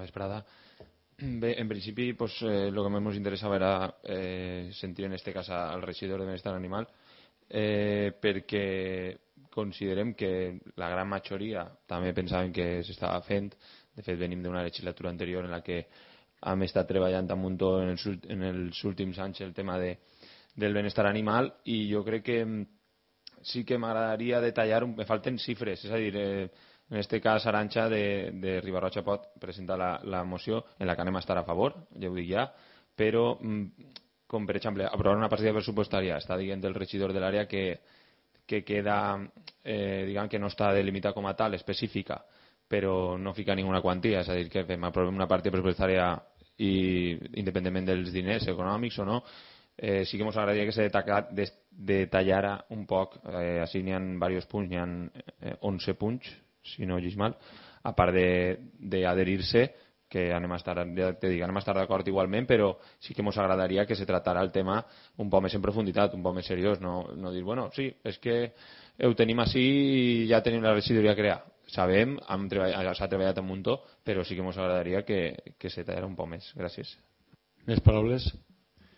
Vesprada. Bé, en principi, pues, lo que més ens interessava era sentir en este cas al regidor de Benestar Animal, perquè considerem que la gran majoria també pensaven que s'estava fent. De fet, venim d'una legislatura anterior en la que hem estat treballant a muntó en els últims anys el tema del benestar animal, i jo crec que sí que m'agradaria detallar, me falten xifres, és a dir, en este cas Arantxa de Riba-roja pot presentar la moció en la que anem a estar a favor, ja ho dic ja, però com per exemple aprovar una partida pressupostària, està dient el regidor de l'àrea que queda, diguem que no està delimitada com a tal, específica, però no fica ninguna quantia, és a dir, que aprovem una partida pressupostària i independentment dels diners econòmics o no, sí que ens agradaria que se detallara un poc, així n'hi ha diversos punts, n'hi ha 11 punts, si no llegis mal, a part d'adherir-se, que anem a estar, ja te dic, anem a estar d'acord igualment, però sí que ens agradaria que se tractara el tema un poc més en profunditat, un poc més seriós, no dir, bueno, sí, és que ho tenim així i ja tenim la regidoria creada. Sabem, s'ha treballat un muntó, però sí que ens agradaria que se tallara un poc més. Gràcies. Més paraules?